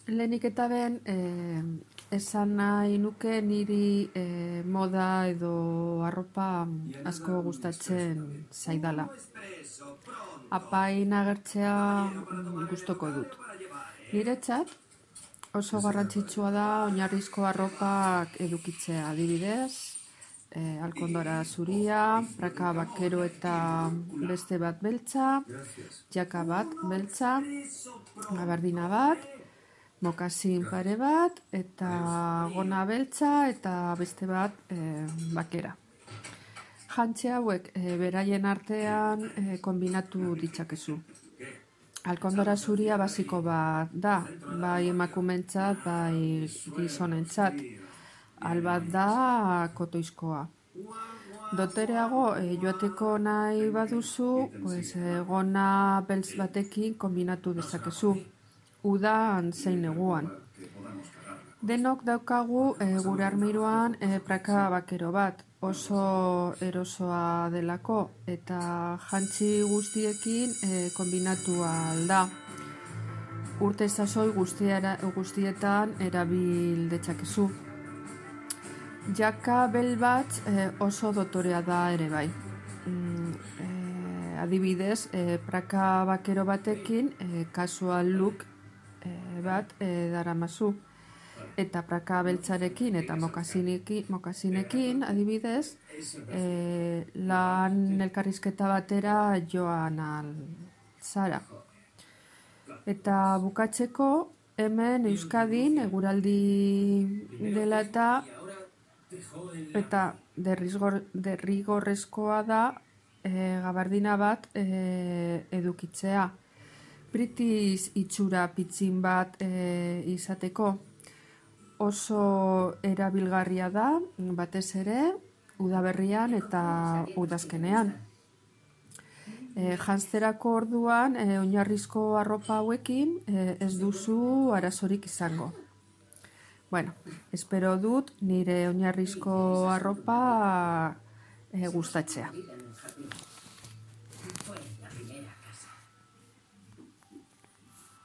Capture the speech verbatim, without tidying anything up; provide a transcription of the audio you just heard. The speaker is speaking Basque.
Lehenik eta ben, eh, esan nahi nuke niri eh, moda edo arropa asko gustatzen zaidala. Apain agertzea mm, gustoko dut. Niretzat oso garrantzitsua da oinarrizko arropak edukitzea, adibidez, eh, alkondora zuria, praka bakero eta beste bat beltza, jaka bat beltza, gabardina bat, mokasin pare bat, eta gona beltza, eta beste bat eh, bakera. Jantzi hauek eh, beraien artean eh, kombinatu ditzakezu. Alkondora zuria basiko bat da, bai emakumentzat, bai gizonentzat. Albat da kotoizkoa. Dotereago eh, joateko nahi baduzu, pues, eh, gona beltz batekin kombinatu dezakezu. Udan zein neguan. Denok daukagu e, gure armiruan e, praka bakero bat, oso erosoa delako eta jantzi guztiekin e, kombinatu alda. Urte sasoi guztiera, guztietan erabil detzakezu. Jaka bel bat e, oso dotorea da ere bai. Mm, e, adibidez, e, praka bakero batekin e, casual look e, bat e, daramazu. Eta praka beltzarekin eta mokasinekin, mokasinekin adibidez, e, lan elkarrizketa batera joan altzara. Eta bukatzeko, hemen Euskadin eguraldi dela eta eta derrigor, derrigorrezkoa da e, gabardina bat e, edukitzea. British itxura pitzin bat e, izateko. Oso erabilgarria da, batez ere, udaberrian eta udazkenean. E, janzterako orduan, e, oinarrizko arropa hauekin e, ez duzu arazorik izango. Bueno, espero dut nire oinarrizko arropa e, gustatzea.